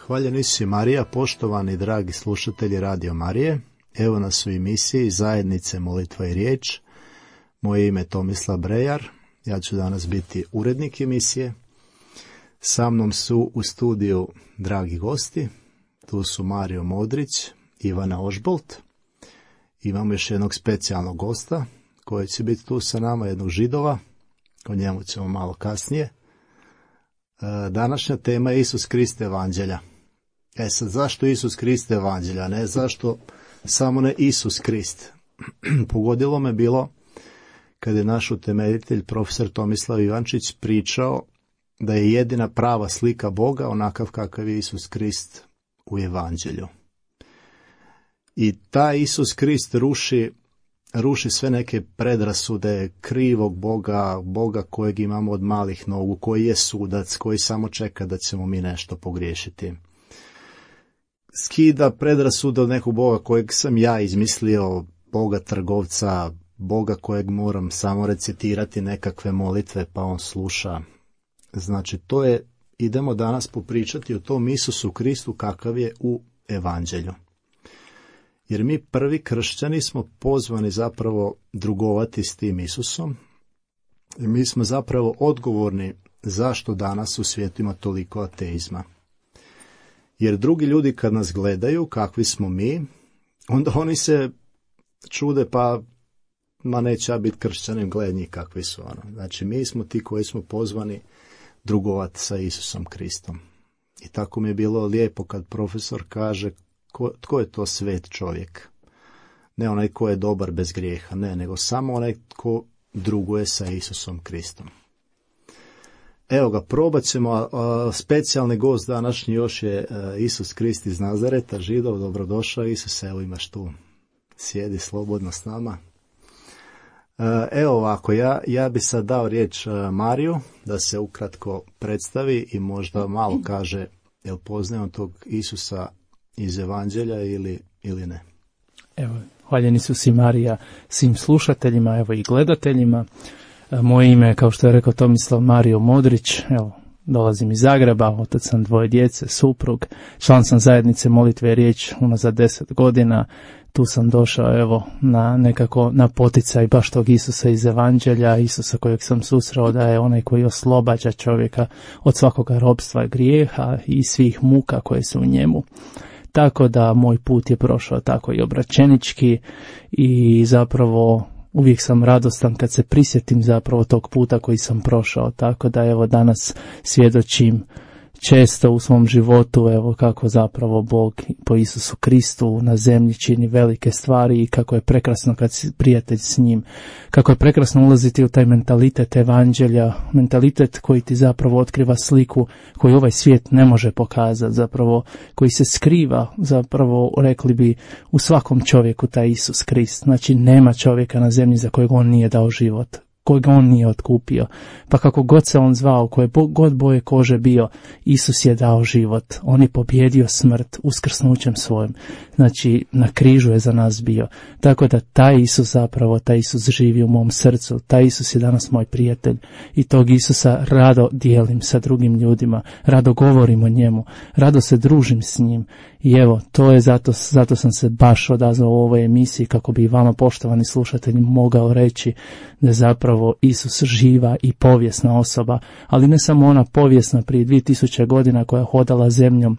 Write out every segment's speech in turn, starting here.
Hvaljeni si Marija, poštovani dragi slušatelji Radio Marije. Evo nas u emisiji Zajednice molitva i riječ. Moje ime je Tomislav Brejar. Ja ću danas biti urednik emisije. Sa mnom su u studiju dragi gosti. Tu su Mario Modrić, Ivana Ožbolt. Imamo još jednog specijalnog gosta koji će biti tu sa nama, jednog Židova. O njemu ćemo malo kasnije. Današnja tema je Isus Krist evanđelja. Sad, zašto Isus Krist evanđelja? Ne zašto samo ne Isus Krist. Pogodilo me bilo kad je naš utemeljitelj profesor Tomislav Ivančić pričao da je jedina prava slika Boga onakav kakav je Isus Krist u evanđelju. I taj Isus Krist ruši sve neke predrasude krivog Boga kojeg imamo od malih nogu, koji je sudac, koji samo čeka da ćemo mi nešto pogriješiti. Skida predrasude od nekog Boga kojeg sam ja izmislio, Boga trgovca, Boga kojeg moram samo recitirati nekakve molitve pa on sluša. Znači, idemo danas popričati o tom Isusu Kristu kakav je u evanđelju. Jer mi prvi kršćani smo pozvani zapravo drugovati s tim Isusom. I mi smo zapravo odgovorni zašto danas u svijetu ima toliko ateizma. Jer drugi ljudi kad nas gledaju kakvi smo mi, onda oni se čude neće ja biti kršćanin, gledaj njih kakvi su. Znači mi smo ti koji smo pozvani drugovati sa Isusom Kristom. I tako mi je bilo lijepo kad profesor kaže tko je to svet čovjek. Ne onaj ko je dobar bez grijeha, ne, nego samo onaj ko druguje sa Isusom Kristom. Evo ga, probat ćemo, specijalni gost današnji još je Isus Krist iz Nazareta, Židov, dobrodošao Isus, evo imaš tu, sjedi slobodno s nama. Evo ovako, ja bi sad dao riječ Mariju da se ukratko predstavi i možda malo kaže jel poznaje on tog Isusa iz evanđelja ili ne. Evo, hvaljeni su si Marija svim slušateljima, evo i gledateljima. Moje ime je, kao što je rekao Tomislav, Mario Modrić. Evo, dolazim iz Zagreba, otac sam 2 djece, suprug, član sam zajednice molitve i riječ unazad 10 godina. Tu sam došao evo na poticaj baš tog Isusa iz evanđelja, Isusa kojeg sam susreo da je onaj koji oslobađa čovjeka od svakoga ropstva grijeha i svih muka koje su u njemu. Tako da moj put je prošao tako i obraćenički i zapravo uvijek sam radostan kad se prisjetim zapravo tog puta koji sam prošao. Tako da evo danas svjedočim često u svom životu evo kako zapravo Bog po Isusu Kristu na zemlji čini velike stvari i kako je prekrasno kad si prijatelj s njim, kako je prekrasno ulaziti u taj mentalitet evanđelja, mentalitet koji ti zapravo otkriva sliku koju ovaj svijet ne može pokazati, zapravo koji se skriva, zapravo rekli bi u svakom čovjeku taj Isus Krist. Znači nema čovjeka na zemlji za kojeg on nije dao život, kojeg on nije otkupio. Pa kako god se on zvao, koje god boje kože bio, Isus je dao život. On je pobjedio smrt uskrsnućem svojim. Znači, na križu je za nas bio. Tako da taj Isus živi u mom srcu. Taj Isus je danas moj prijatelj. I tog Isusa rado dijelim sa drugim ljudima. Rado govorim o njemu. Rado se družim s njim. I evo, to je zato sam se baš odazvao u ovoj emisiji kako bi vama, poštovani slušatelji, mogao reći da je zapravo Isus živa i povijesna osoba, ali ne samo ona povijesna prije 2000 godina koja je hodala zemljom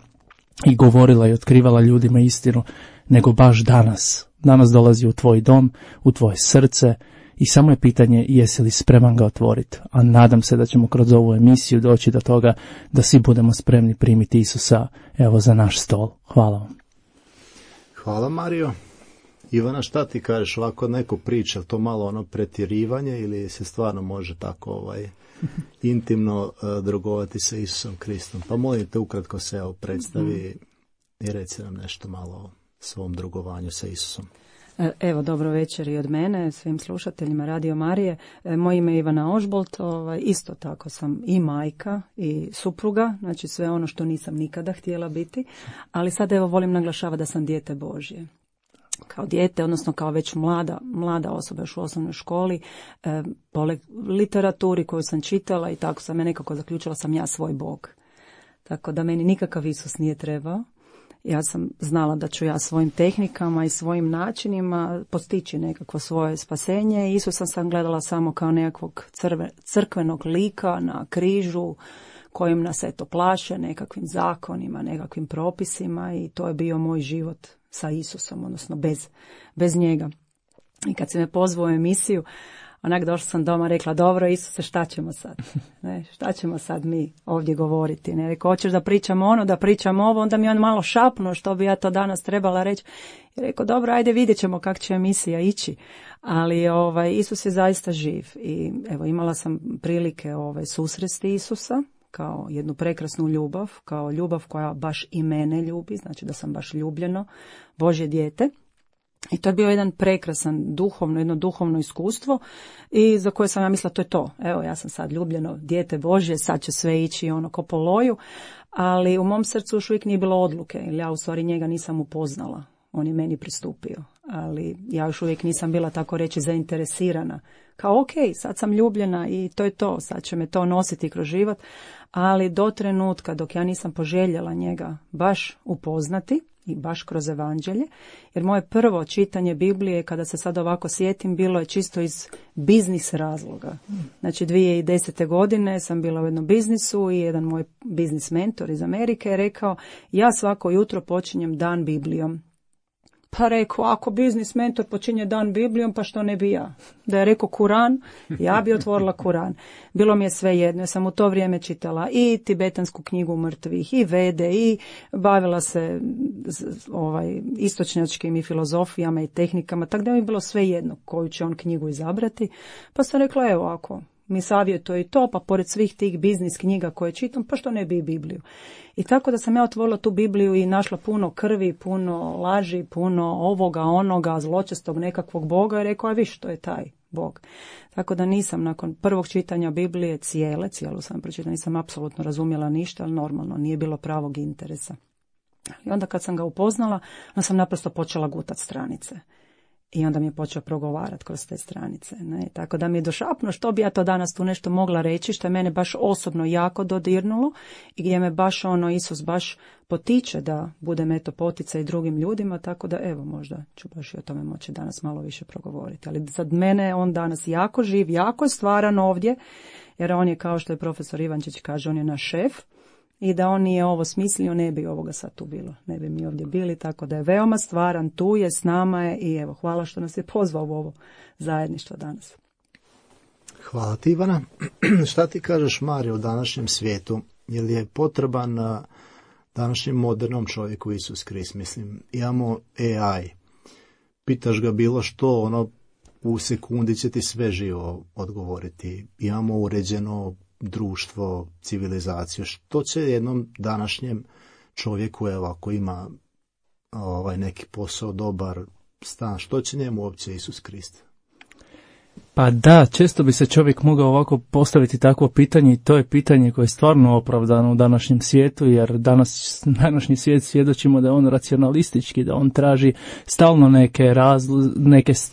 i govorila i otkrivala ljudima istinu, nego baš danas. Danas dolazi u tvoj dom, u tvoje srce i samo je pitanje jesi li spreman ga otvoriti. A nadam se da ćemo kroz ovu emisiju doći do toga da svi budemo spremni primiti Isusa evo za naš stol. Hvala vam. Hvala Mario. Ivana, šta ti kažeš, ovako neko priča, to malo pretjerivanje ili se stvarno može tako intimno drugovati sa Isusom Kristom? Pa molim te ukratko se predstavi i reci nam nešto malo o svom drugovanju sa Isusom. Evo, dobro večer i od mene, svim slušateljima Radio Marije. Moje ime je Ivana Ožbolt, isto tako sam i majka i supruga, znači sve ono što nisam nikada htjela biti, ali sad evo volim naglašavati da sam dijete Božje. Kao dijete, odnosno kao već mlada osoba još u osnovnoj školi, po literaturi koju sam čitala i tako sam ja nekako zaključila sam ja svoj Bog. Tako da meni nikakav Isus nije trebao. Ja sam znala da ću ja svojim tehnikama i svojim načinima postići nekakvo svoje spasenje. Isusa sam gledala samo kao nekakvog crkvenog lika na križu kojim nas eto plaše nekakvim zakonima, nekakvim propisima i to je bio moj život sa Isusom, odnosno bez njega. I kad se me pozvao u emisiju, onak došla sam doma, rekla, dobro Isuse, šta ćemo sad? Ne, šta ćemo sad mi ovdje govoriti? Ne, rekao, hoćeš da pričam ono, da pričam ovo, onda mi on malo šapnuo što bi ja to danas trebala reći. I rekao, dobro, ajde vidjet ćemo kako će emisija ići. Ali Isus je zaista živ i evo imala sam prilike susresti Isusa kao jednu prekrasnu ljubav, kao ljubav koja baš i mene ljubi, znači da sam baš ljubljeno Božje dijete. I to je bio jedan prekrasan jedno duhovno iskustvo i za koje sam ja mislila to je to. Evo ja sam sad ljubljeno dijete Božje, sad će sve ići ko po loju, ali u mom srcu još uvijek nije bilo odluke, jer ja u stvari njega nisam upoznala. On je meni pristupio, ali ja još uvijek nisam bila tako reći zainteresirana. Kao ok, sad sam ljubljena i to je to, sad će me to nositi kroz život, ali do trenutka dok ja nisam poželjela njega baš upoznati, i baš kroz evanđelje, jer moje prvo čitanje Biblije, kada se sad ovako sjetim, bilo je čisto iz biznis razloga. Znači 2010. godine sam bila u jednom biznisu i jedan moj biznis mentor iz Amerike je rekao, ja svako jutro počinjem dan Biblijom. Pa rekao, ako biznis mentor počinje dan Biblijom, pa što ne bi ja? Da je rekao Kuran, ja bi otvorila Kuran. Bilo mi je sve jedno, ja sam u to vrijeme čitala i tibetansku knjigu mrtvih, i Vede, i bavila se istočnjačkim i filozofijama i tehnikama, tako da mi je bilo sve jedno koju će on knjigu izabrati. Pa sam rekla, evo ako mi savjetuje i to, pa pored svih tih biznis knjiga koje čitam, pa što ne bi i Bibliju. I tako da sam ja otvorila tu Bibliju i našla puno krvi, puno laži, puno ovoga, onoga, zločestog nekakvog Boga i rekao, a viš, to je taj Bog. Tako da nisam nakon prvog čitanja Biblije cijelu sam pročitala, nisam apsolutno razumjela ništa, ali normalno, nije bilo pravog interesa. I onda kad sam ga upoznala, onda sam naprosto počela gutati stranice. I onda mi je počeo progovarati kroz te stranice. Ne? Tako da mi je došapnuo što bi ja to danas tu nešto mogla reći, što je mene baš osobno jako dodirnulo i gdje me baš Isus baš potiče da budem poticaj drugim ljudima, tako da evo možda ću baš i o tome moći danas malo više progovoriti. Ali za mene on danas jako živ, jako je stvaran ovdje, jer on je, kao što je profesor Ivančić kaže, on je naš šef. I da on nije ovo smislio, ne bi ovoga sad tu bilo. Ne bi mi ovdje bili, tako da je veoma stvaran, tu je, s nama je i evo, hvala što nas je pozvao u ovo zajedništvo danas. Hvala ti, Ivana. Šta ti kažeš, Marija, u današnjem svijetu? Je li je potreban današnjem modernom čovjeku Isus Krist? Mislim, imamo AI. Pitaš ga bilo što, u sekundi će ti sve živo odgovoriti. Imamo uređeno društvo, civilizaciju. Što će jednom današnjem čovjeku, evo, ako ima neki posao, dobar stan, što će njemu uopće Isus Krist? Pa da, često bi se čovjek mogao ovako postaviti takvo pitanje i to je pitanje koje je stvarno opravdano u današnjem svijetu, jer današnji svijet svjedočimo da je on racionalistički, da on traži stalno neke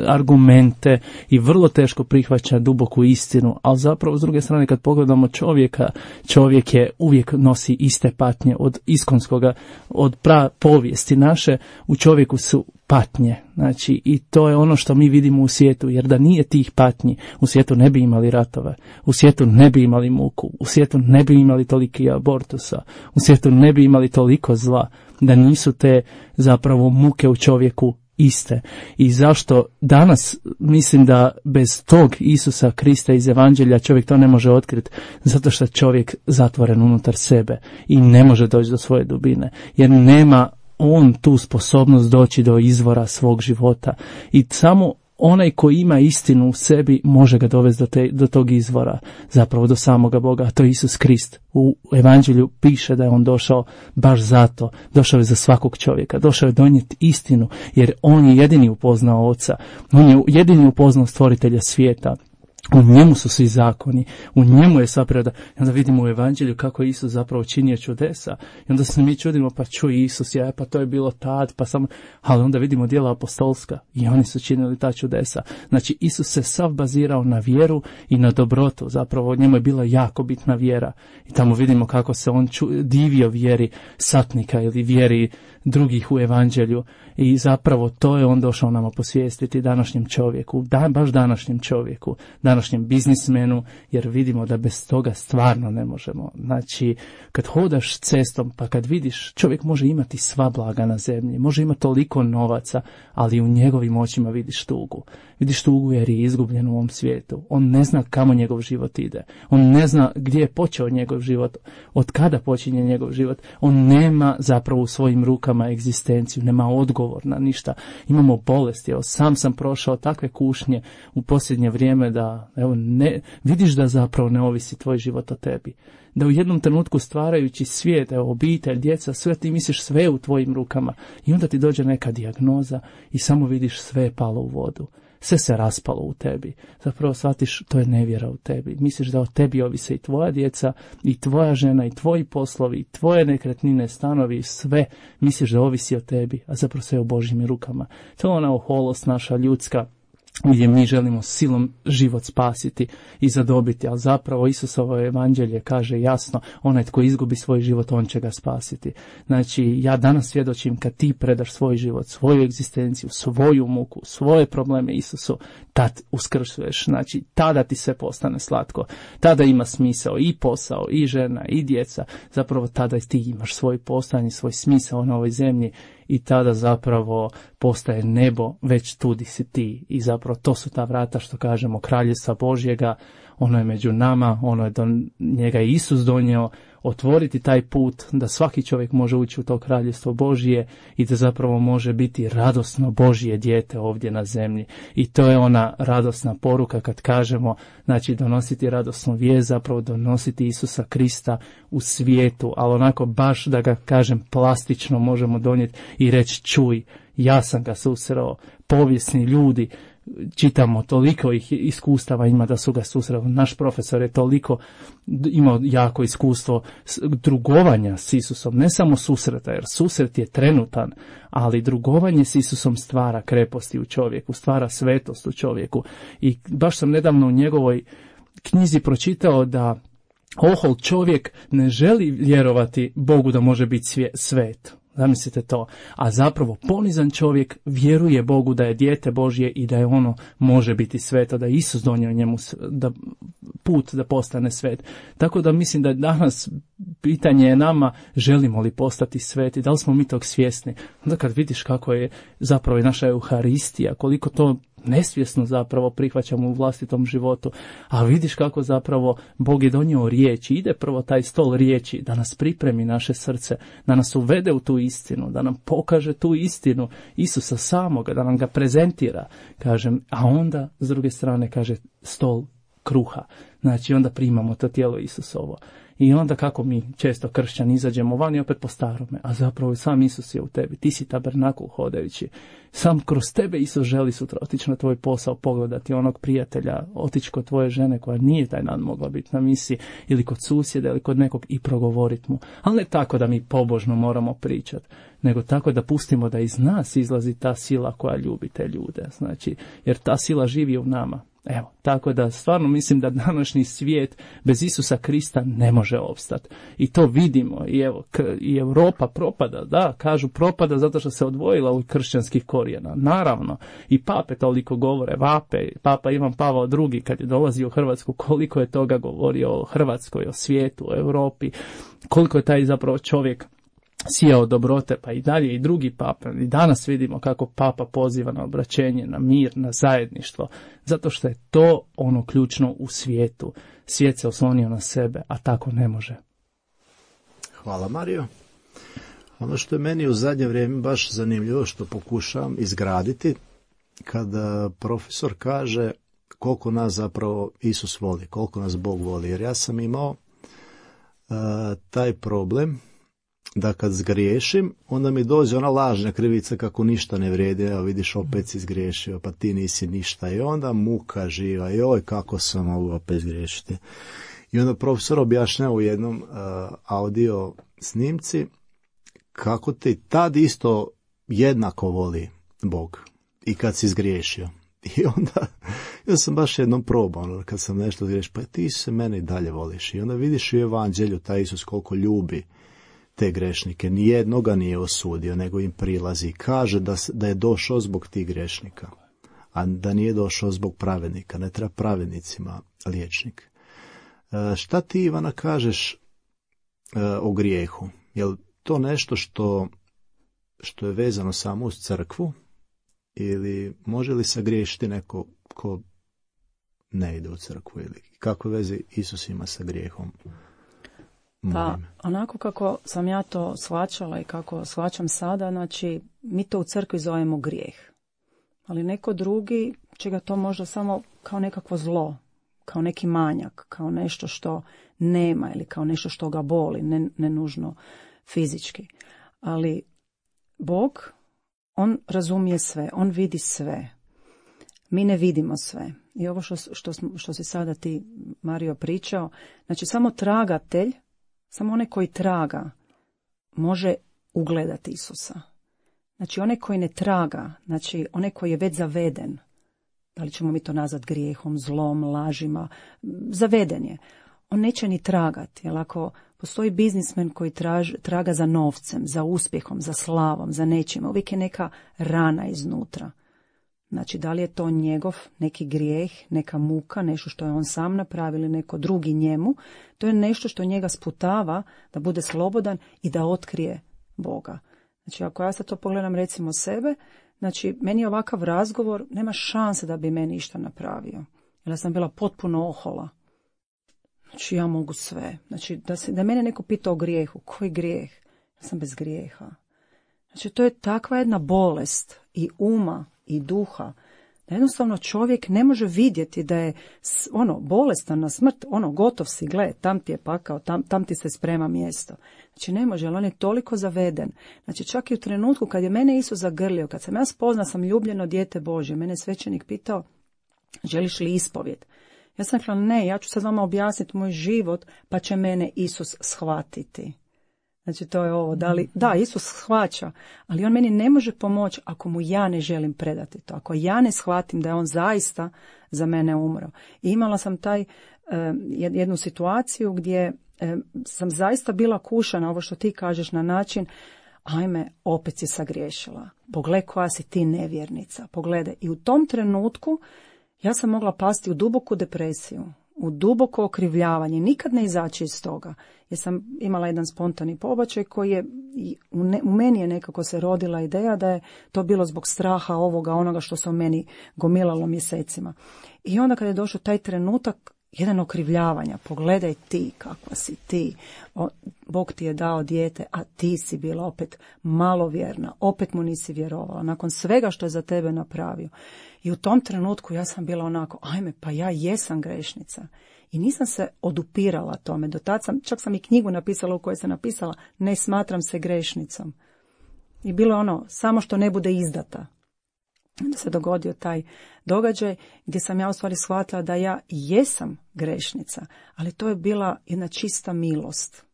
argumente i vrlo teško prihvaća duboku istinu, ali zapravo s druge strane kad pogledamo čovjeka, čovjek je uvijek nosi iste patnje od iskonskoga, od povijesti naše, u čovjeku su patnje, znači i to je ono što mi vidimo u svijetu, jer da nije tih patnji, u svijetu ne bi imali ratove, u svijetu ne bi imali muku, u svijetu ne bi imali toliki abortusa, u svijetu ne bi imali toliko zla, da nisu te zapravo muke u čovjeku iste. I zašto danas mislim da bez tog Isusa Krista iz Evanđelja čovjek to ne može otkriti? Zato što je čovjek zatvoren unutar sebe i ne može doći do svoje dubine, jer nema on tu sposobnost doći do izvora svog života i samo onaj koji ima istinu u sebi može ga dovesti do tog izvora, zapravo do samoga Boga, a to je Isus Krist. U Evanđelju piše da je on došao baš zato, došao je za svakog čovjeka, došao je donijeti istinu, jer on je jedini upoznao Oca, on je jedini upoznao stvoritelja svijeta. U njemu su svi zakoni, u njemu je sva priroda. I onda vidimo u evanđelju kako je Isus zapravo činio čudesa. I onda se mi čudimo, pa čuj Isus, pa to je bilo tad, pa samo... Ali onda vidimo djela apostolska i oni su činili ta čudesa. Znači, Isus se sav bazirao na vjeru i na dobrotu. Zapravo, njemu je bila jako bitna vjera. I tamo vidimo kako se on divio vjeri satnika ili vjeri drugih u evanđelju. I zapravo to je on došao nama posvijestiti današnjem čovjeku, baš današnjem čovjeku, današnjem biznismenu, jer vidimo da bez toga stvarno ne možemo. Znači, kad hodaš cestom, pa kad vidiš, čovjek može imati sva blaga na zemlji, može imati toliko novaca, ali u njegovim očima vidiš tugu. Vidiš tugu jer je izgubljen u ovom svijetu. On ne zna kamo njegov život ide. On ne zna gdje je počeo njegov život, od kada počinje njegov život. On nema zapravo u svojim rukama egzistenciju, nema odgovor na ništa. Imamo bolesti. Evo, sam prošao takve kušnje u posljednje vrijeme da vidiš da zapravo ne ovisi tvoj život o tebi. Da u jednom trenutku stvarajući svijet, obitelj, djeca, sve ti misliš sve u tvojim rukama. I onda ti dođe neka dijagnoza i samo vidiš sve je palo u vodu. Sve se raspalo u tebi. Zapravo shvatiš, to je nevjera u tebi. Misliš da o tebi ovise i tvoja djeca, i tvoja žena, i tvoji poslovi, i tvoje nekretnine, stanovi, sve. Misliš da ovisi o tebi, a zapravo sve u Božjim rukama. To je ona oholost naša ljudska, gdje mi želimo silom život spasiti i zadobiti, ali zapravo Isusovo evanđelje kaže jasno, onaj tko izgubi svoj život, on će ga spasiti. Znači, ja danas svjedočim, kad ti predaš svoj život, svoju egzistenciju, svoju muku, svoje probleme Isusu, tad uskrsuješ, znači, tada ti sve postane slatko, tada ima smisao i posao, i žena, i djeca, zapravo tada ti imaš svoj postojanje, svoj smisao na ovoj zemlji. I tada zapravo postaje nebo, već tu di si ti. I zapravo to su ta vrata što kažemo Kraljevstva Božjega, ono je među nama, ono je do njega je Isus donio, otvoriti taj put da svaki čovjek može ući u to Kraljevstvo Božje i da zapravo može biti radosno Božje dijete ovdje na zemlji. I to je ona radosna poruka kad kažemo, znači donositi radosnu vijest, zapravo donositi Isusa Krista u svijetu, ali onako baš da ga kažem plastično možemo donijeti i reći čuj, ja sam ga susreo, povijesni ljudi, čitamo, toliko ih iskustava ima da su ga susreli. Naš profesor je toliko imao jako iskustvo drugovanja s Isusom, ne samo susreta, jer susret je trenutan, ali drugovanje s Isusom stvara kreposti u čovjeku, stvara svetost u čovjeku. I baš sam nedavno u njegovoj knjizi pročitao da ohol čovjek ne želi vjerovati Bogu da može biti svet. Zamislite to. A zapravo ponizan čovjek vjeruje Bogu da je dijete Božje i da je ono može biti sveto, da je Isus donio njemu put da postane svet. Tako da mislim da danas pitanje je nama, želimo li postati sveti, da li smo mi tog svjesni. Onda kad vidiš kako je zapravo i naša Euharistija, koliko to nesvjesno zapravo prihvaćamo u vlastitom životu, a vidiš kako zapravo Bog je donio riječi, ide prvo taj stol riječi da nas pripremi naše srce, da nas uvede u tu istinu, da nam pokaže tu istinu Isusa samoga, da nam ga prezentira, kažem, a onda s druge strane kaže stol kruha, znači onda primamo to tijelo Isusovo. I onda kako mi često kršćani izađemo van i opet po starome, a zapravo sam Isus je u tebi, ti si tabernakul hodajući. Sam kroz tebe Isus želi sutra otići na tvoj posao, pogledati onog prijatelja, otići kod tvoje žene koja nije taj dan mogla biti na misiji, ili kod susjeda ili kod nekog i progovoriti mu. Ali ne tako da mi pobožno moramo pričati, nego tako da pustimo da iz nas izlazi ta sila koja ljubi te ljude. Znači, jer ta sila živi u nama. Evo, tako da stvarno mislim da današnji svijet bez Isusa Krista ne može opstati. I to vidimo. I evo, i Europa propada, da, kažu propada zato što se odvojila od kršćanskih korijena. Naravno, i pape toliko govore, vape, papa Ivan Pavao II kad je dolazio u Hrvatsku, koliko je toga govorio o Hrvatskoj, o svijetu, o Europi, koliko je taj zapravo čovjek sijao dobrote, pa i dalje i drugi papa. I danas vidimo kako papa poziva na obraćenje, na mir, na zajedništvo, zato što je to ono ključno u svijetu. Svijet se oslonio na sebe, a tako ne može. Hvala, Mario. Ono što je meni u zadnje vrijeme baš zanimljivo, što pokušavam izgraditi, kada profesor kaže koliko nas zapravo Isus voli, koliko nas Bog voli. Jer ja sam imao taj problem da kad zgriješim, onda mi dođe ona lažna krivica kako ništa ne vrijedi, evo vidiš, opet si zgriješio, pa ti nisi ništa, i onda muka živa, joj kako sam mogu opet zgriješiti. I onda profesor objašnjava u jednom audio snimci kako te tad isto jednako voli Bog i kad si zgriješio. I onda ja sam baš jednom probao, kad sam nešto zgriješio, pa ti se mene i dalje voliš. I onda vidiš u evanđelju taj Isus koliko ljubi te grešnike. Nijednoga nije osudio, nego im prilazi i kaže da je došao zbog tih grešnika, a da nije došao zbog pravednika. Ne treba pravednicima liječnik. Šta ti, Ivana, kažeš o grijehu? Je li to nešto što je vezano samo uz crkvu, ili može li sagriješiti neko ko ne ide u crkvu, ili kakve veze Isus ima sa grijehom? Pa, onako kako sam ja to shvaćala i kako shvaćam sada, znači, mi to u crkvi zovemo grijeh. Ali neko drugi će ga to možda samo kao nekakvo zlo, kao neki manjak, kao nešto što nema ili kao nešto što ga boli, ne nužno fizički. Ali Bog, on razumije sve, on vidi sve. Mi ne vidimo sve. I ovo što si sada ti, Mario, pričao, znači samo tragatelj, samo onaj koji traga može ugledati Isusa. Znači onaj koji ne traga, znači onaj koji je već zaveden, da li ćemo mi to nazvati grijehom, zlom, lažima, zaveden je. On neće ni tragati, jer ako postoji biznismen koji traga za novcem, za uspjehom, za slavom, za nečim, uvijek je neka rana iznutra. Znači, da li je to njegov neki grijeh, neka muka, nešto što je on sam napravio ili neko drugi njemu, to je nešto što njega sputava da bude slobodan i da otkrije Boga. Znači, ako ja sad to pogledam recimo sebe, znači, meni ovakav razgovor nema šanse da bi meni išta napravio. Jer ja sam bila potpuno ohola. Znači, ja mogu sve. Znači, da mene neko pita o grijehu. Koji grijeh? Ja sam bez grijeha. Znači, to je takva jedna bolest i uma i duha, da jednostavno čovjek ne može vidjeti da je bolestan na smrt, gotov si, gle, tam ti je pakao, tam ti se sprema mjesto. Znači ne može, ali on je toliko zaveden. Znači čak i u trenutku kad je mene Isus zagrlio, kad sam ja spoznala sam ljubljeno dijete Božje, mene je svećenik pitao, želiš li ispovjed? Ja sam rekla, ne, ja ću sad vama objasniti moj život, pa će mene Isus shvatiti. Znači to je ovo, da, Isus shvaća, ali on meni ne može pomoći ako mu ja ne želim predati to, ako ja ne shvatim da je on zaista za mene umro. I imala sam jednu situaciju gdje sam zaista bila kušana, ovo što ti kažeš, na način, ajme, opet si sagriješila, pogledaj koja si ti nevjernica, pogledaj. I u tom trenutku ja sam mogla pasti u duboku depresiju, u duboko okrivljavanje, nikad ne izaći iz toga. Jer sam imala jedan spontani pobačaj koji je, u meni je nekako se rodila ideja da je to bilo zbog straha onoga što se u meni gomilalo mjesecima. I onda kad je došao taj trenutak, jedan okrivljavanja, pogledaj ti kakva si ti, Bog ti je dao dijete, a ti si bila opet malovjerna, opet mu nisi vjerovala, nakon svega što je za tebe napravio. I u tom trenutku ja sam bila onako, ajme, pa ja jesam grešnica. I nisam se odupirala tome. Do tad čak sam i knjigu napisala u kojoj sam napisala, ne smatram se grešnicom. I bilo samo što ne bude izdata. Onda se dogodio taj događaj gdje sam ja u stvari shvatila da ja jesam grešnica, ali to je bila jedna čista milost.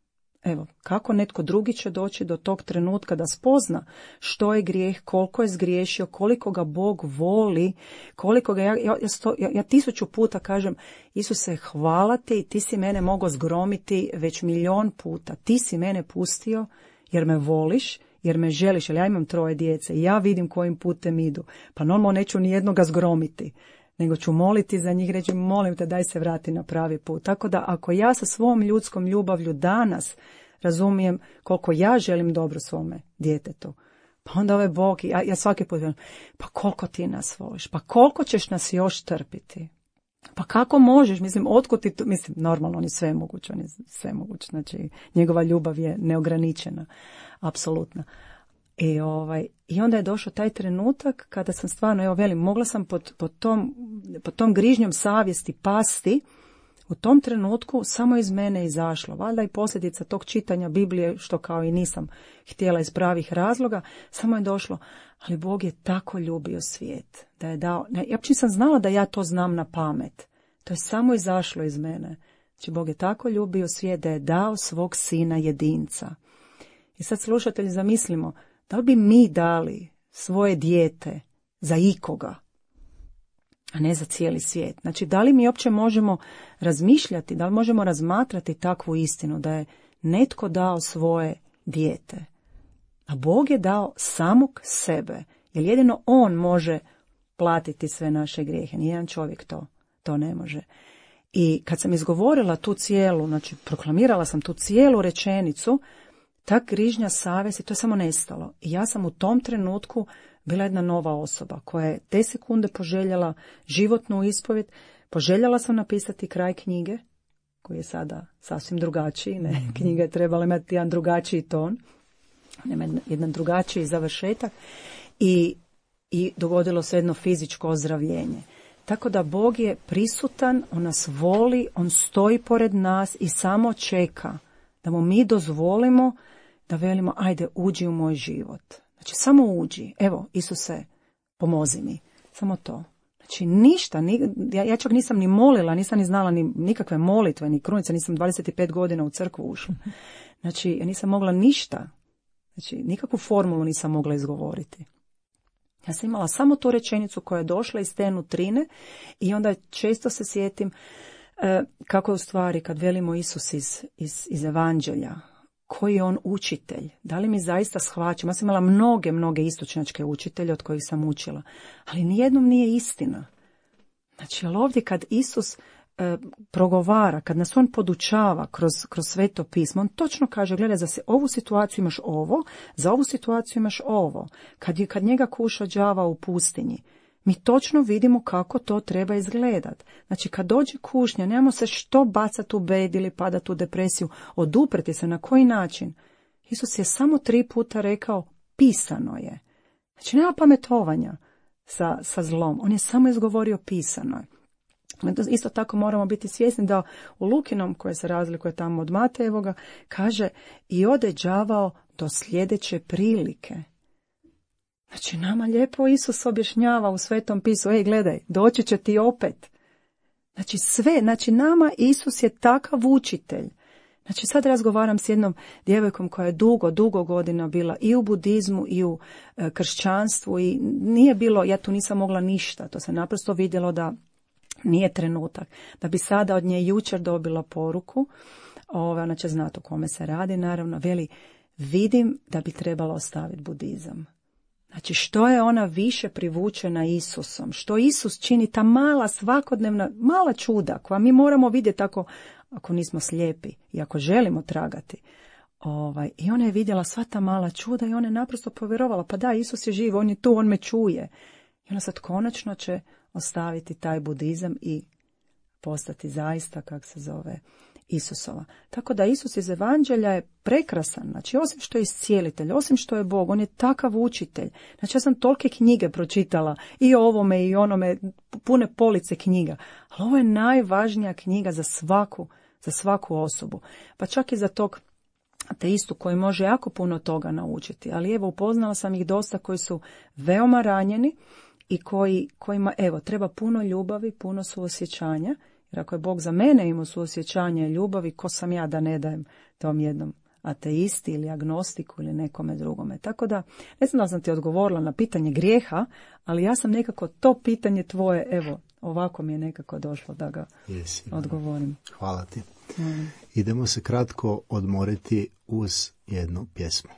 Evo, kako netko drugi će doći do tog trenutka da spozna što je grijeh, koliko je zgriješio, koliko ga Bog voli, koliko ga ja 1000 puta kažem, Isuse, hvala ti, ti si mene mogao zgromiti već 1.000.000 puta, ti si mene pustio jer me voliš, jer me želiš, jer ja imam 3 djece i ja vidim kojim putem idu, pa normalno neću ni jednoga zgromiti, nego ću moliti za njih, reći molim te daj se vrati na pravi put. Tako da ako ja sa svom ljudskom ljubavlju danas razumijem koliko ja želim dobro svome djetetu, pa onda ovaj Bog, ja svaki put velim, pa koliko ti nas voliš, pa koliko ćeš nas još trpiti, pa kako možeš, otkud ti to, normalno on je svemoguć, znači njegova ljubav je neograničena, apsolutna. I onda je došao taj trenutak kada sam stvarno, mogla sam pod tom grižnjom savjesti pasti U tom trenutku samo iz mene izašlo. Valjda i posljedica tog čitanja Biblije, što kao i nisam htjela iz pravih razloga, samo je došlo, ali Bog je tako ljubio svijet da je dao, ja uopće nisam znala da ja to znam na pamet. To je samo izašlo iz mene. Znači, Bog je tako ljubio svijet da je dao svog sina jedinca. I sad, slušatelji, zamislimo, da li bi mi dali svoje dijete za ikoga, a ne za cijeli svijet? Znači, da li mi uopće možemo razmišljati, da li možemo razmatrati takvu istinu, da je netko dao svoje dijete, a Bog je dao samog sebe, jer jedino on može platiti sve naše grijehe. Nijedan čovjek to ne može. I kad sam izgovorila tu cijelu, znači proklamirala sam tu cijelu rečenicu, ta grižnja savjesti, to je samo nestalo. I ja sam u tom trenutku bila jedna nova osoba koja je te sekunde poželjela životnu ispovjed. Poželjela sam napisati kraj knjige, koji je sada sasvim drugačiji. Ne? Knjiga je trebala imati jedan drugačiji ton, jedan drugačiji završetak. I dogodilo se jedno fizičko ozdravljenje. Tako da Bog je prisutan, on nas voli, on stoji pored nas i samo čeka da mu mi dozvolimo da velimo, ajde, uđi u moj život. Znači, samo uđi. Evo, Isuse, pomozi mi. Samo to. Znači, ništa. Ja čak nisam ni molila, nisam ni znala ni nikakve molitve, ni krunice. Nisam 25 godina u crkvu ušla. Znači, ja nisam mogla ništa. Znači, nikakvu formulu nisam mogla izgovoriti. Ja sam imala samo tu rečenicu koja je došla iz te nutrine i onda često se sjetim kako je u stvari kad velimo Isus iz evanđelja, koji je on učitelj, da li mi zaista shvaćamo. Ja sam imala mnoge istočnjačke učitelje od kojih sam učila, ali nijednom nije istina. Znači, ali ovdje kad Isus progovara, kad nas on podučava kroz sveto pismo, on točno kaže, gledaj, za ovu situaciju imaš ovo, za ovu situaciju imaš ovo. Kad njega kuša đava u pustinji, mi točno vidimo kako to treba izgledat. Znači, kad dođe kušnja, nemamo se što bacati u bed ili padati u depresiju, odupreti se, na koji način? Isus je samo 3 puta rekao, pisano je. Znači, nema pametovanja sa zlom, on je samo izgovorio pisano je. Isto tako moramo biti svjesni da u Lukinom, koje se razlikuje tamo od Matejevoga, kaže i ode đavao do sljedeće prilike. Znači, nama lijepo Isus objašnjava u Svetom pisu, gledaj, doći će ti opet. Znači, sve, znači nama Isus je takav učitelj. Znači, sad razgovaram s jednom djevojkom koja je dugo godina bila i u budizmu i u kršćanstvu i nije bilo, ja tu nisam mogla ništa, to se naprosto vidjelo da nije trenutak. Da bi sada od nje jučer dobila poruku, ona će znati o kome se radi, naravno, veli, vidim da bi trebala ostaviti budizam. Znači, što je ona više privučena Isusom, što Isus čini, ta mala svakodnevna, mala čuda koja mi moramo vidjeti ako nismo slijepi i ako želimo tragati. I ona je vidjela sva ta mala čuda i ona je naprosto povjerovala, pa da, Isus je živ, on je tu, on me čuje. I ona sad konačno će ostaviti taj budizam i postati zaista, kak se zove, Isusova. Tako da Isus iz evanđelja je prekrasan. Znači, osim što je iscijelitelj, osim što je Bog, on je takav učitelj. Znači, ja sam tolike knjige pročitala i o ovome i onome, pune police knjiga. Ali ovo je najvažnija knjiga za svaku osobu. Pa čak i za tog ateistu koji može jako puno toga naučiti. Ali evo, upoznala sam ih dosta koji su veoma ranjeni i kojima, evo, treba puno ljubavi, puno suosjećanja. Jer ako je Bog za mene imao suosjećanje i ljubavi, ko sam ja da ne dajem tom jednom ateisti ili agnostiku ili nekome drugome. Tako da, ne znam da sam ti odgovorila na pitanje grijeha, ali ja sam nekako to pitanje tvoje, evo, ovako mi je nekako došlo da ga odgovorim. Hvala ti. Idemo se kratko odmoriti uz jednu pjesmu.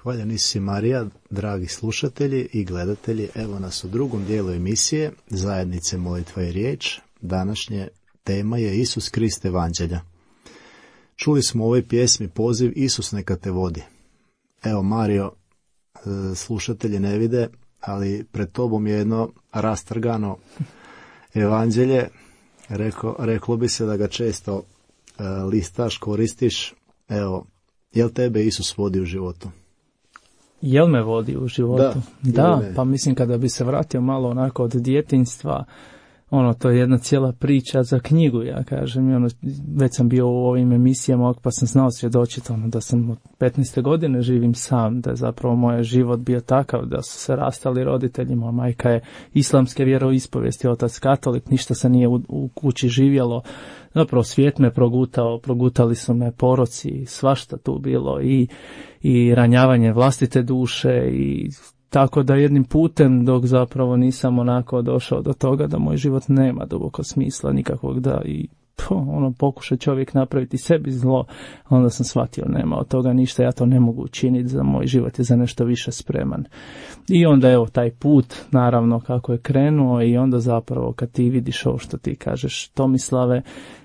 Hvaljeni si Marija, dragi slušatelji i gledatelji, evo nas u drugom dijelu emisije Zajednice molitva i riječ. Današnje tema je Isus Krist evanđelja. Čuli smo u ovoj pjesmi poziv Isus neka te vodi. Evo Mario, slušatelji ne vide, ali pred tobom je jedno rastrgano evanđelje. Reklo bi se da ga često listaš, koristiš. Evo, jel tebe Isus vodi u životu? Jel me vodi u životu? Da, pa mislim kada bi se vratio malo onako od djetinjstva, to je jedna cijela priča za knjigu, ja kažem. Već sam bio u ovim emisijama, pa sam znao svjedočiti da sam od 15. godine živim sam, da je zapravo moj život bio takav, da su se rastali roditelji, moja majka je islamske vjeroispovijesti, otac katolik, ništa se nije u kući živjelo. Zapravo svijet me progutali su me poroci, svašta tu bilo i ranjavanje vlastite duše i tako da jednim putem dok zapravo nisam onako došao do toga da moj život nema duboko smisla nikakvog, da i pokuša čovjek napraviti sebi zlo, onda sam shvatio nema od toga ništa, ja to ne mogu učiniti, za moj život je za nešto više spreman. I onda evo taj put naravno kako je krenuo i onda zapravo kad ti vidiš ovo što ti kažeš Tomislave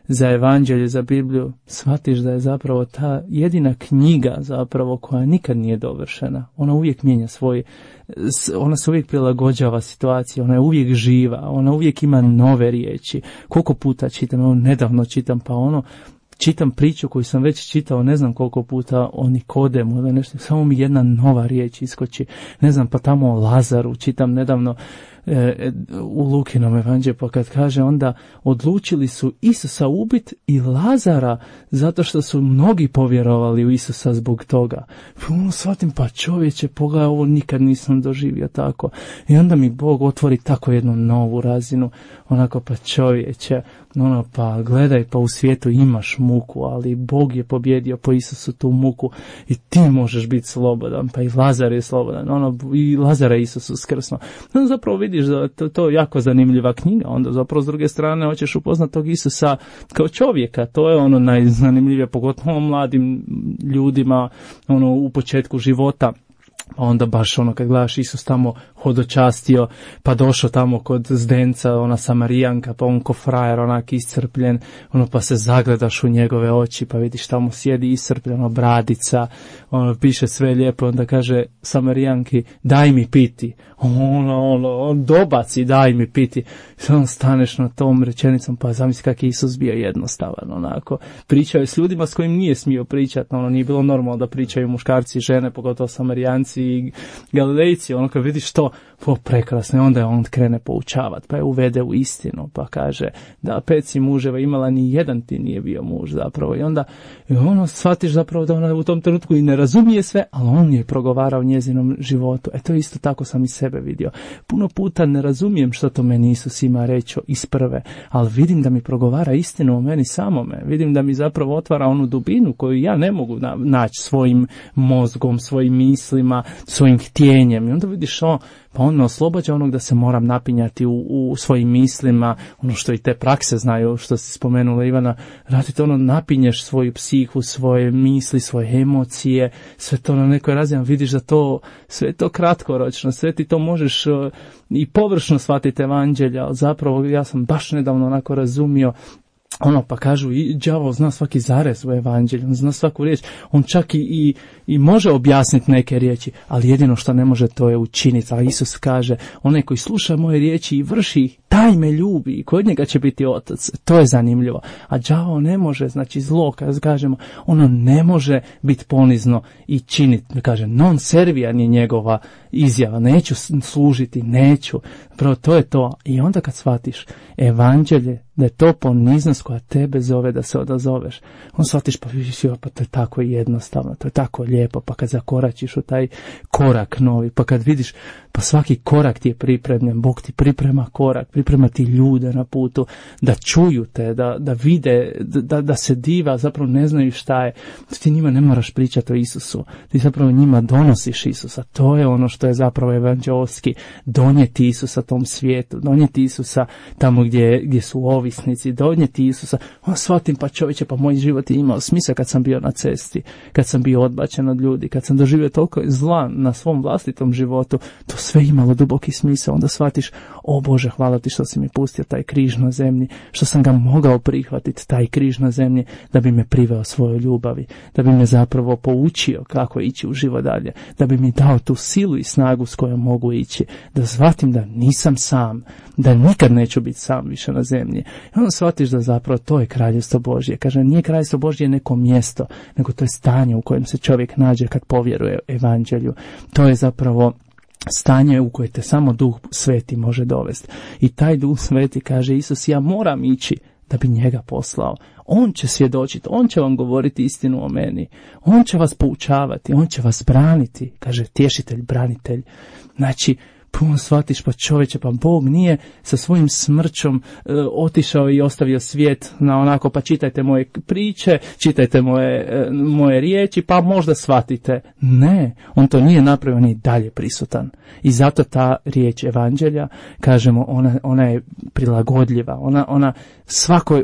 za evanđelje, za Bibliju, shvatiš da je zapravo ta jedina knjiga zapravo koja nikad nije dovršena. Ona uvijek mijenja ona se uvijek prilagođava situaciji, ona je uvijek živa, ona uvijek ima nove riječi. Koliko puta čitam, nedavno čitam, čitam priču koju sam već čitao ne znam koliko puta o Nikodemu ili nešto, samo mi jedna nova riječ iskoči, ne znam, pa tamo o Lazaru čitam nedavno u Lukinom evanđelju, pa kad kaže onda odlučili su Isusa ubiti i Lazara zato što su mnogi povjerovali u Isusa zbog toga. Shvatim, pa čovječe, pogledaj, ovo nikad nisam doživio tako. I onda mi Bog otvori tako jednu novu razinu, onako, pa čovječe, pa gledaj, pa u svijetu imaš muku, ali Bog je pobjedio po Isusu tu muku i ti možeš biti slobodan, pa i Lazar je slobodan, i Lazara je Isus uskrsnuo. Zapravo vidiš da to je jako zanimljiva knjiga, onda zapravo s druge strane hoćeš upoznat tog Isusa kao čovjeka, to je najzanimljivije, pogotovo mladim ljudima, u početku života. Onda baš kad gledaš Isus tamo hodočastio, pa došao tamo kod zdenca, ona Samarijanka, pa on ko frajer, onak iscrpljen, pa se zagledaš u njegove oči, pa vidiš tamo sjedi iscrpljeno, bradica, piše sve lijepo, onda kaže Samarijanki, daj mi piti, on dobaci, daj mi piti, i staneš na tom rečenicom, pa zamisli kak je Isus bio jednostavan, onako, pričao je s ljudima s kojim nije smio pričati, nije bilo normalno da pričaju muškarci i žene, pogotovo Samarijanci i Galilejci, kad vidiš to, prekrasno, i onda je on krene poučavati, pa je uvede u istinu, pa kaže da 5 si muževa imala, ni jedan ti nije bio muž zapravo, i onda shvatiš zapravo da ona u tom trenutku i ne razumije sve, ali on je progovarao njezinom životu. To isto tako sam i sebe vidio. Puno puta ne razumijem što to meni Isus ima reći iz prve, ali vidim da mi progovara istinu o meni samome, vidim da mi zapravo otvara onu dubinu koju ja ne mogu naći svojim mozgom, svojim mislima, svojim htjenjem, i onda vidiš pa on me oslobađa onog da se moram napinjati u svojim mislima, ono što i te prakse znaju, što si spomenula Ivana, radite ono, napinješ svoju psihu, svoje misli, svoje emocije, sve to na nekoj razini, vidiš da to, sve to kratkoročno, sve ti to možeš i površno shvatiti evanđelja, ali zapravo ja sam baš nedavno onako razumio, pa kažu, i đavol zna svaki zarez u evanđelju, on zna svaku riječ, on čak i može objasniti neke riječi, ali jedino što ne može to je učiniti. A Isus kaže, onaj koji sluša moje riječi i vrši ih, taj me ljubi i kod njega će biti otac. To je zanimljivo. A đavol ne može, znači zlo, kad kažemo, ono ne može biti ponizno i činiti. Kaže, non servijan je njegova izjava, neću služiti, neću. Prvo, to je to. I onda kad shvatiš evanđelje, da je to poniznost koja tebe zove da se odazoveš, on shvatiš, pa to je tako jednostavno, to je tako lijepo, pa kad zakoračiš u taj korak novi, pa kad vidiš, pa svaki korak ti je pripremljen, Bog ti priprema korak, priprema ti ljude na putu, da čuju te, da vide, da se diva, zapravo ne znaju šta je, ti njima ne moraš pričati o Isusu, ti zapravo njima donosiš Isusa, to je ono što je zapravo evanđelski, donijeti Isusa tom svijetu, donijeti Isusa tamo gdje su ovisnici, donijeti Isusa, shvatim, pa čovječe, pa moj život je imao smisla kad sam bio na cesti, kad sam bio odbačen od ljudi, kad sam doživio toliko zla na svom vlastitom životu, to sve imalo duboki smisao, onda shvatiš, o Bože, hvala ti što si mi pustio taj križ na zemlji, što sam ga mogao prihvatiti, taj križ na zemlji, da bi me priveo svojoj ljubavi, da bi me zapravo poučio kako ići u život dalje, da bi mi dao tu silu i snagu s kojom mogu ići, da shvatim da nisam sam, da nikad neću biti sam više na zemlji. I onda shvatiš da zapravo to je kraljevstvo Božje. Kaže, nije kraljevstvo Božje neko mjesto, nego to je stanje u kojem se čovjek nađe kad povjeruje evanđelju. To je zapravo stanje u koje te samo Duh Sveti može dovesti. I taj Duh Sveti, kaže Isus, ja moram ići da bi njega poslao. On će svjedočiti, on će vam govoriti istinu o meni. On će vas poučavati, on će vas braniti. Kaže, tješitelj, branitelj. Znači, puno shvatiš, pa čovječe, pa Bog nije sa svojim smrćom otišao i ostavio svijet na onako, pa čitajte moje priče, čitajte moje riječi, pa možda shvatite. Ne, on to nije napravio, on je dalje prisutan. I zato ta riječ evanđelja, kažemo, ona je prilagodljiva, ona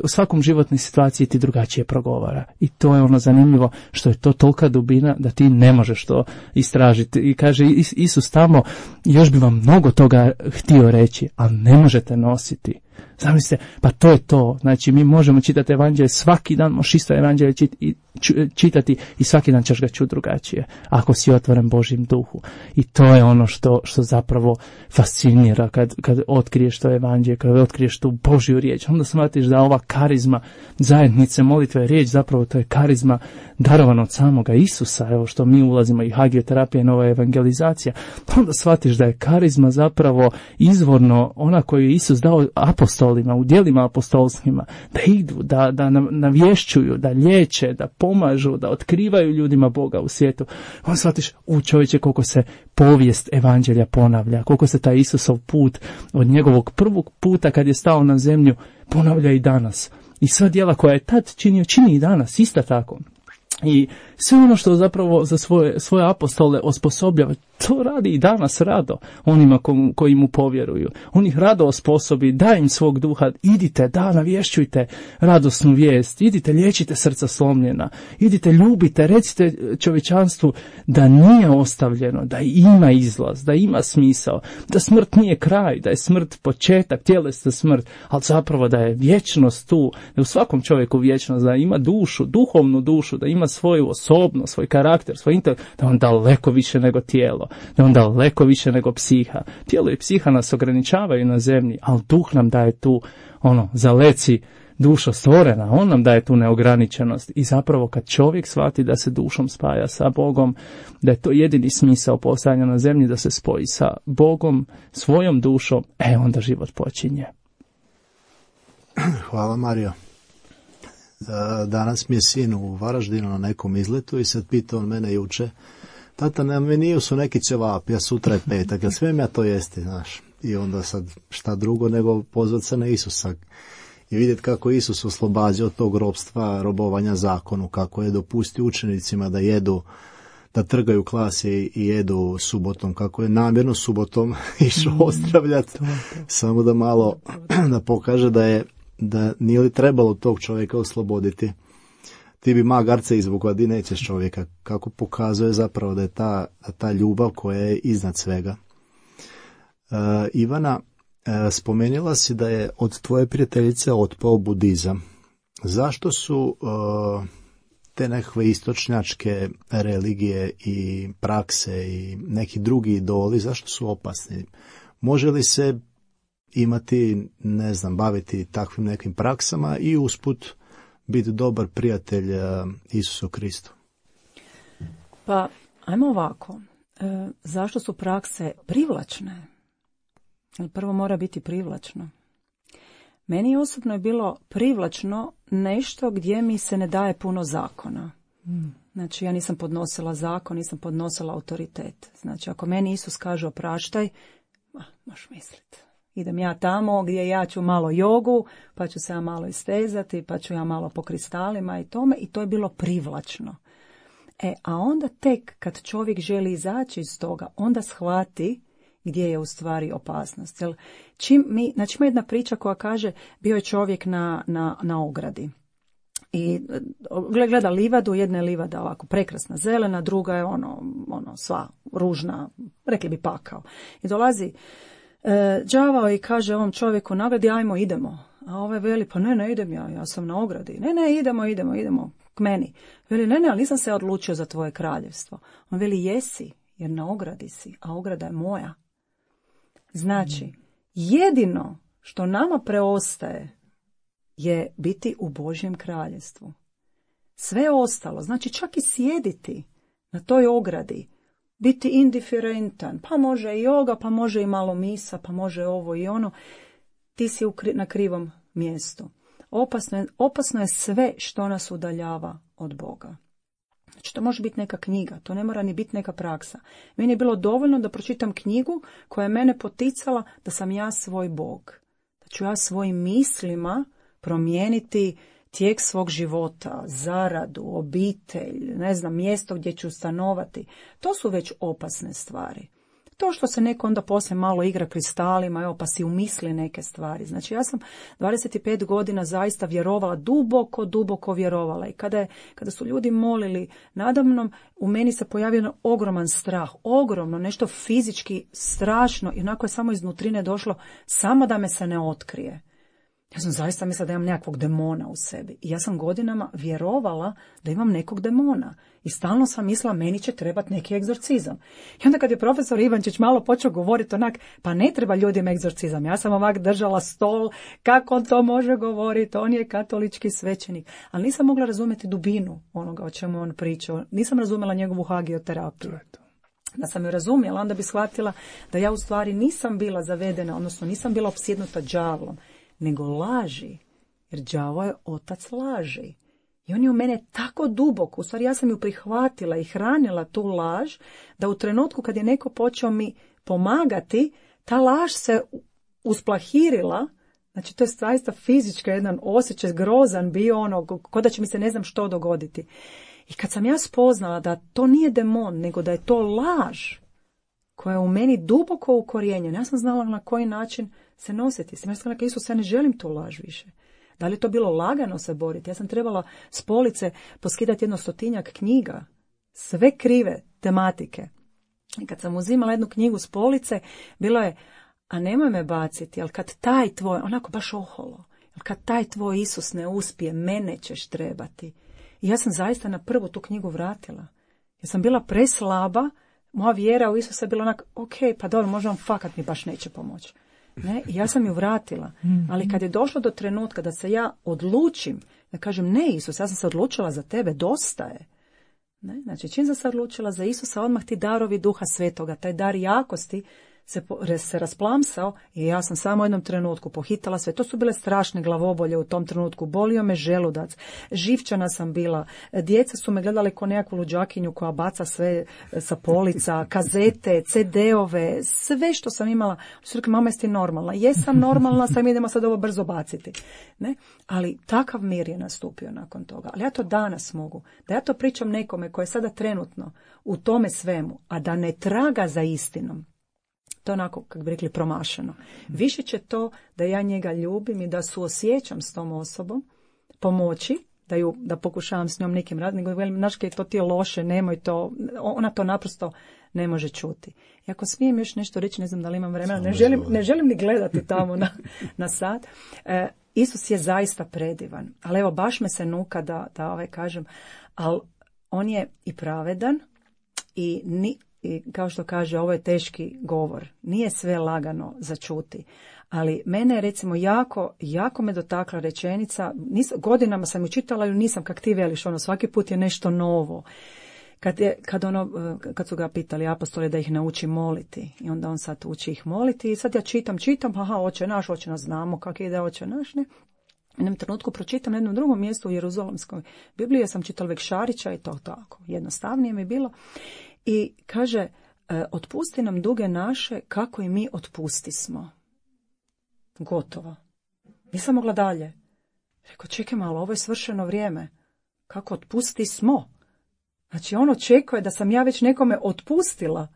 u svakom životnoj situaciji ti drugačije progovara. I to je ono zanimljivo, što je to tolika dubina da ti ne možeš to istražiti. I kaže Isus tamo, još bi vam mnogo toga htio reći, ali ne možete nositi. Zamislite, pa to je to. Znači, mi možemo čitati evanđelje svaki dan, možeš isto evanđelje čitati i svaki dan ćeš ga čuti drugačije, ako si otvoren Božjem duhu. I to je ono što zapravo fascinira kad otkriješ to evanđelje, kad otkriješ tu Božju riječ. Onda shvatiš da ova karizma zajednice molitve, riječ, zapravo to je karizma darovana od samoga Isusa, evo što mi ulazimo i hagioterapija i nova evangelizacija. Onda shvatiš da je karizma zapravo izvorno ona koju je Isus dao apostolima, u djelima apostolskima, da idu, da navješćuju, da liječe, da pomažu, da otkrivaju ljudima Boga u svijetu. On shvatiš, čovječe, koliko se povijest evanđelja ponavlja, koliko se taj Isusov put od njegovog prvog puta kad je stao na zemlju ponavlja i danas. I sva djela koja je tad činio, čini i danas, isto tako. I sve ono što zapravo za svoje apostole osposobljava, to radi i danas rado onima koji mu povjeruju. On ih rado osposobi, da im svog duha, idite, navješćujte radosnu vijest, idite, liječite srca slomljena, idite, ljubite, recite čovječanstvu da nije ostavljeno, da ima izlaz, da ima smisao, da smrt nije kraj, da je smrt početak, tjelesna smrt, ali zapravo da je vječnost tu, da u svakom čovjeku vječnost, da ima dušu, duhovnu dušu, da ima svoju osobnost, svoj karakter, svoj intelekt, da on daleko više nego tijelo, da on daleko više nego psiha. Tijelo i psiha nas ograničavaju na zemlji, ali duh nam daje tu, zaleci, duša stvorena, on nam daje tu neograničenost. I zapravo kad čovjek shvati da se dušom spaja sa Bogom, da je to jedini smisao postojanja na zemlji, da se spoji sa Bogom, svojom dušom, onda život počinje. Hvala, Mario. Danas mi je sin u Varaždinu na nekom izletu i sad pitao on mene juče, tata, na meniju su neki ćevapi, a sutra je petak, jel smijem ja to jesti, znaš? I onda sad šta drugo nego pozvat se na Isusa i vidjeti kako Isus oslobađa od tog robstva, robovanja zakonu, kako je dopustio učenicima da jedu da trgaju klase i jedu subotom, kako je namjerno subotom išao ozdravljati, samo da malo da pokaže da nije li trebalo tog čovjeka osloboditi. Ti bi magarce izvukla, di nećeš čovjeka, kako pokazuje zapravo da je ta ljubav koja je iznad svega. Ivana, spomenula si da je od tvoje prijateljice otpao budizam. Zašto su te nekakve istočnjačke religije i prakse i neki drugi idoli, zašto su opasni? Može li se imati, ne znam, baviti takvim nekim praksama i usput biti dobar prijatelj Isusu Kristu? Pa, ajmo ovako. Zašto su prakse privlačne? Prvo mora biti privlačno. Meni osobno je bilo privlačno nešto gdje mi se ne daje puno zakona. Znači, ja nisam podnosila zakon, nisam podnosila autoritet. Znači, ako meni Isus kaže opraštaj, možeš misliti. Idem ja tamo gdje ja ću malo jogu, pa ću se ja malo istezati, pa ću ja malo po kristalima i tome, i to je bilo privlačno. A onda tek kad čovjek želi izaći iz toga, onda shvati gdje je u stvari opasnost. Jel, znači ima jedna priča koja kaže, bio je čovjek na ogradi i gleda livadu, jedna je livada ovako prekrasna zelena, druga je ono sva ružna, rekli bi pakao. I dolazi đavao i kaže ovom čovjeku na ogradi, ajmo, idemo. A ovaj veli, pa ne idem ja sam na ogradi. Ne, idemo k meni. Veli, ne, ali nisam se odlučio za tvoje kraljevstvo. On veli, jesi, jer na ogradi si, a ograda je moja. Znači, jedino što nama preostaje je biti u Božjem kraljevstvu. Sve ostalo, znači čak i sjediti na toj ogradi, biti indiferentan, pa može i joga, pa može i malo misa, pa može ovo i ono, ti si na krivom mjestu. Opasno je sve što nas udaljava od Boga. Znači, to može biti neka knjiga, to ne mora ni biti neka praksa. Meni je bilo dovoljno da pročitam knjigu koja je mene poticala da sam ja svoj Bog. Da ću ja svojim mislima promijeniti tijek svog života, zaradu, obitelj, ne znam, mjesto gdje ću stanovati. To su već opasne stvari. To što se neko onda poslije malo igra kristalima, evo, pa si umisli neke stvari. Znači, ja sam 25 godina zaista vjerovala, duboko vjerovala. I kada su ljudi molili nadamnom, u meni se pojavio ogroman strah, ogromno, nešto fizički strašno. I onako je samo iznutrine došlo, samo da me se ne otkrije. Ja sam zaista mislila da imam nekakvog demona u sebi. I ja sam godinama vjerovala da imam nekog demona. I stalno sam mislila, meni će trebati neki egzorcizam. I onda kad je profesor Ivančić malo počeo govoriti onak, pa ne treba ljudima egzorcizam. Ja sam ovak držala stol, kako on to može govoriti, on je katolički svećenik. Ali nisam mogla razumjeti dubinu onoga o čemu on pričao. Nisam razumjela njegovu hagioterapiju. Da sam ju razumjela, onda bi shvatila da ja u stvari nisam bila zavedena, odnosno nisam bila opsjednuta đavlom, nego laži, jer đavo je otac laži. I on je u mene tako duboko, u stvari ja sam ju prihvatila i hranila tu laž, da u trenutku kad je neko počeo mi pomagati, ta laž se usplahirila, znači to je zaista fizički jedan osjećaj grozan bio, ko da će mi se ne znam što dogoditi. I kad sam ja spoznala da to nije demon, nego da je to laž, koja je u meni duboko ukorijenjena, ja sam znala na koji način se nositi. Sam rekla, Isus, ja ne želim tu laž više. Da li je to bilo lagano se boriti? Ja sam trebala s police poskidati 100 knjiga, sve krive tematike. I kad sam uzimala jednu knjigu s police, bilo je, a nemoj me baciti, ali kad taj tvoj, onako baš oholo, kad taj tvoj Isus ne uspije, mene ćeš trebati. I ja sam zaista na prvu tu knjigu vratila. Ja sam bila preslaba, moja vjera u Isusa je bila onak, ok, pa dobro, možda on fakat mi baš neće pomoći. Ne? I ja sam ju vratila. Ali kad je došlo do trenutka da se ja odlučim, da kažem, ne Isus, ja sam se odlučila za tebe, dosta je. Ne? Znači, čim sam se odlučila za Isusa, odmah ti darovi Duha Svetoga, taj dar jakosti se rasplamsao i ja sam samo u jednom trenutku pohitala sve. To su bile strašne glavobolje u tom trenutku. Bolio me želudac. Živčana sam bila. Djeca su me gledali kao nekakvu luđakinju koja baca sve sa polica, kazete, CD-ove, sve što sam imala. Su rekli, mama, jesi ti normalna? Jesam normalna, sad idemo sad ovo brzo baciti. Ne? Ali takav mir je nastupio nakon toga. Ali ja to danas mogu. Da ja to pričam nekome koji je sada trenutno u tome svemu, a da ne traga za istinom. To je onako, kako bi rekli, promašeno. Više će to da ja njega ljubim i da suosjećam s tom osobom, pomoći, da pokušavam s njom nekim raditi, nego velim, znaš, to ti je loše, nemoj to, ona to naprosto ne može čuti. I ako smijem još nešto reći, ne znam da li imam vremena, ne želim ni gledati tamo na sat. Isus je zaista predivan, ali evo, baš me se nuka da kažem, ali on je i pravedan i kao što kaže, ovo je teški govor. Nije sve lagano za čuti. Ali mene, recimo, jako me dotakla rečenica. Godinama sam ju čitala i nisam kak ti veliš, svaki put je nešto novo. Kad su ga pitali apostoli da ih nauči moliti. I onda on sad uči ih moliti. I sad ja čitam, Oče naš, znamo kak ide Oče naš, ne? U jednom trenutku pročitam na jednom drugom mjestu u Jeruzalemskoj Bibliji, sam čitala Vek Šarića i to tako. Jednostavnije mi je bilo. I kaže, otpusti nam duge naše kako i mi otpustismo. Gotovo. Nisam mogla dalje. Rekao, čekaj malo, ovo je svršeno vrijeme. Kako otpustismo? Znači, on očekuje da sam ja već nekome otpustila.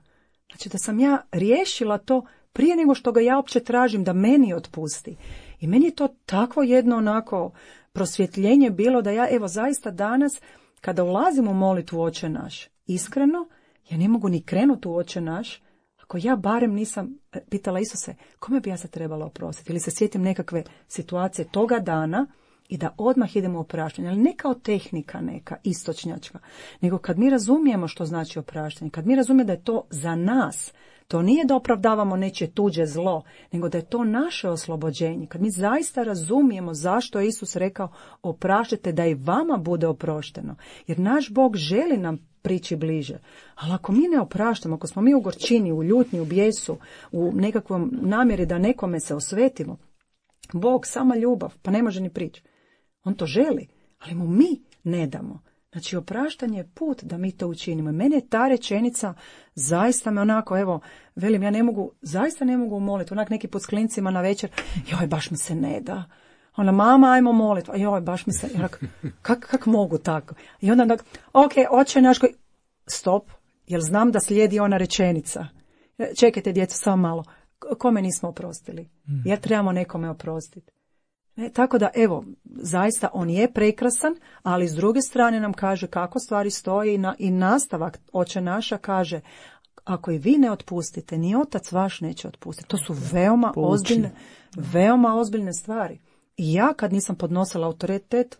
Znači, da sam ja riješila to prije nego što ga ja uopće tražim da meni otpusti. I meni je to takvo jedno onako prosvjetljenje bilo da ja, evo, zaista danas, kada ulazim u molitvu Oče naš, iskreno, ja ne mogu ni krenuti u Oče naš, ako ja barem nisam pitala Isuse, kome bi ja se trebala oprostiti? Ili se sjetim nekakve situacije toga dana i da odmah idemo u opraštanje. Ali ne kao tehnika neka, istočnjačka, nego kad mi razumijemo što znači opraštanje, kad mi razumijemo da je to za nas, to nije da opravdavamo nečije tuđe zlo, nego da je to naše oslobođenje. Kad mi zaista razumijemo zašto je Isus rekao opraštite da i vama bude oprošteno. Jer naš Bog želi nam prići bliže. Ali ako mi ne opraštamo, ako smo mi u gorčini, u ljutnji, u bijesu, u nekakvom namjeri da nekome se osvetimo, Bog, sama ljubav, pa ne može ni prići. On to želi, ali mu mi ne damo. Znači, opraštanje je put da mi to učinimo. Mene je ta rečenica zaista me onako, evo, velim, ja zaista ne mogu moliti. Onak neki put s klincima na večer, joj, baš mi se ne da. Ona, mama, ajmo moliti. Joj, baš mi se, kak mogu tako? I onda, ok, Oče naš, stop, jer znam da slijedi ona rečenica. Čekajte, djeco, samo malo. Kome nismo oprostili? Jer trebamo nekome oprostiti. Tako da, evo, zaista on je prekrasan, ali s druge strane nam kaže kako stvari stoji i nastavak Oče naša kaže, ako i vi ne otpustite, ni Otac vaš neće otpustiti. To su veoma ozbiljne stvari. I ja kad nisam podnosila autoritet,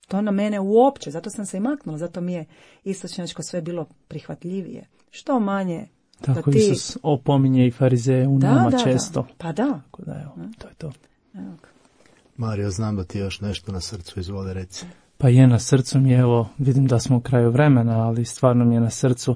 to na mene uopće, zato sam se i maknula, zato mi je istočnjačko sve bilo prihvatljivije. Što manje tako da ti... Isus opominje i farizeje u nama često. Pa da. Tako da, evo, to je to. Evo. Mario, znam da ti je još nešto na srcu, izvoli reci. Pa je na srcu mi, evo, vidim da smo u kraju vremena, ali stvarno mi je na srcu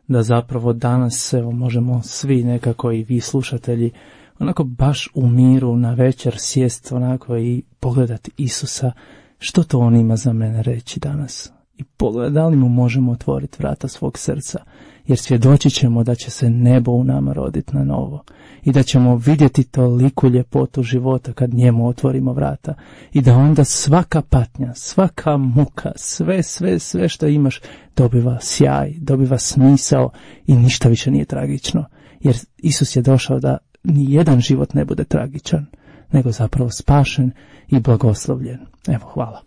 da zapravo danas, evo, možemo svi nekako i vi slušatelji, onako baš u miru na večer sjest onako i pogledati Isusa, što to on ima za mene reći danas. I pogledati da li mu možemo otvoriti vrata svog srca, jer svjedočit ćemo da će se nebo u nama roditi na novo i da ćemo vidjeti toliku ljepotu života kad njemu otvorimo vrata i da onda svaka patnja, svaka muka, sve što imaš dobiva sjaj, dobiva smisao i ništa više nije tragično, jer Isus je došao da ni jedan život ne bude tragičan, nego zapravo spašen i blagoslovljen. Evo, hvala.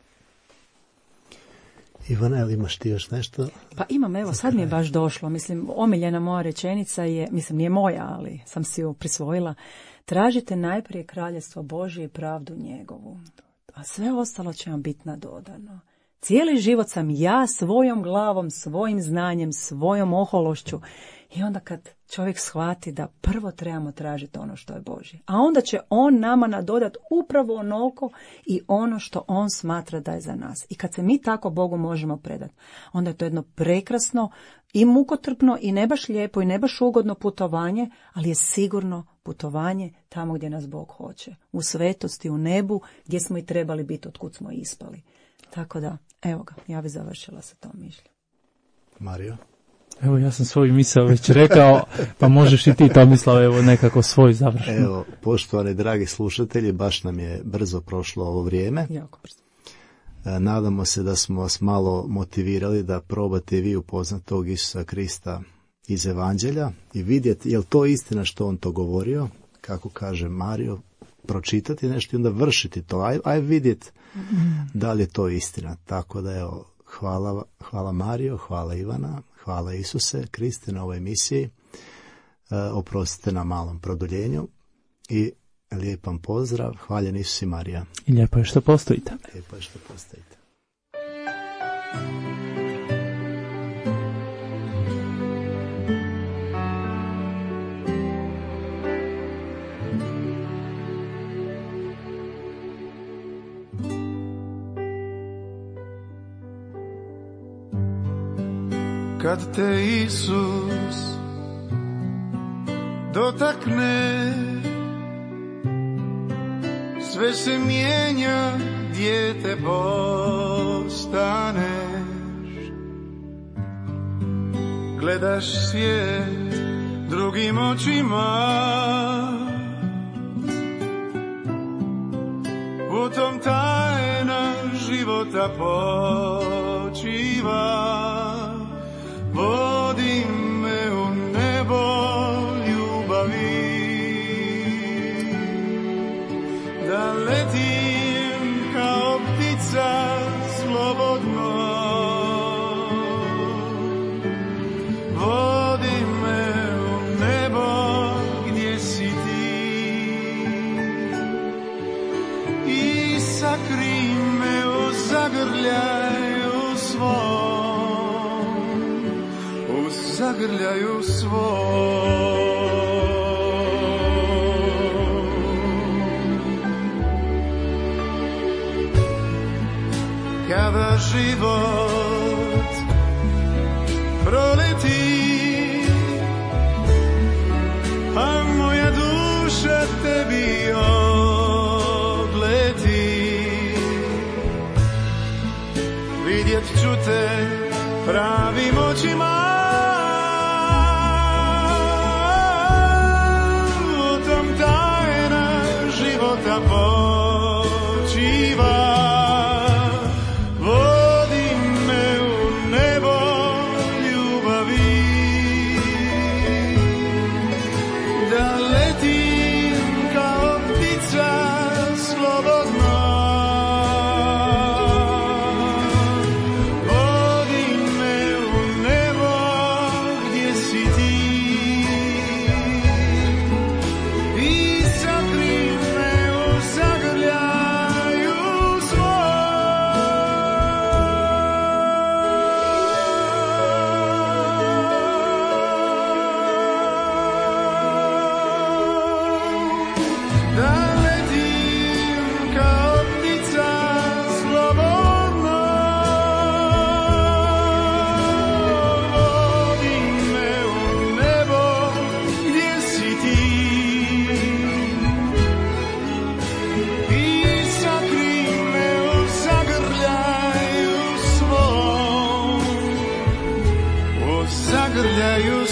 Ivana, ili imaš ti još nešto? Pa imam, evo, sad mi je baš došlo. Mislim, omiljena moja rečenica je, mislim, nije moja, ali sam si ju prisvojila. Tražite najprije kraljestvo Božje i pravdu njegovu. A sve ostalo će vam biti nadodano. Cijeli život sam ja svojom glavom, svojim znanjem, svojom ohološću. I onda kad čovjek shvati da prvo trebamo tražiti ono što je Božje, a onda će on nama nadodati upravo onoliko i ono što on smatra da je za nas. I kad se mi tako Bogu možemo predati, onda je to jedno prekrasno i mukotrpno i ne baš lijepo i ne baš ugodno putovanje, ali je sigurno putovanje tamo gdje nas Bog hoće. U svetosti, u nebu, gdje smo i trebali biti, otkud smo ispali. Tako da, evo ga, ja bi završila sa tom mišlju. Mario? Evo, ja sam svoju misao već rekao, pa možeš i ti, Tomislav, evo nekako svoj završno. Evo, poštovani dragi slušatelji, baš nam je brzo prošlo ovo vrijeme. Jako brzo. Nadamo se da smo vas malo motivirali da probate vi upoznati tog Isusa Krista iz Evanđelja i vidjeti je li to istina što on to govorio, kako kaže Mario, pročitati nešto i onda vršiti to. Aj vidjeti da li je to istina. Tako da evo, hvala Mario, hvala Ivana, hvala Isuse Kriste na ovoj emisiji. Oprostite na malom produljenju i lijepan pozdrav. Hvaljen Isus i Marija. I lijepo je što postojite. Lijepo je što postojite. Kad te Isus dotakne, sve se mijenja, dijete postaneš. Gledaš svijet drugim očima, u tom tajna života počiva. Vodi me u nebo ljubavi, da letim kao ptica slobodno. Vodi me u nebo gdje si ti i sakri me u zagrljaju svom. Zagrljaju svoj. Kada život proleti, a moja duša tebi odleti, vidjet ću te pravim očima. Zagrljaju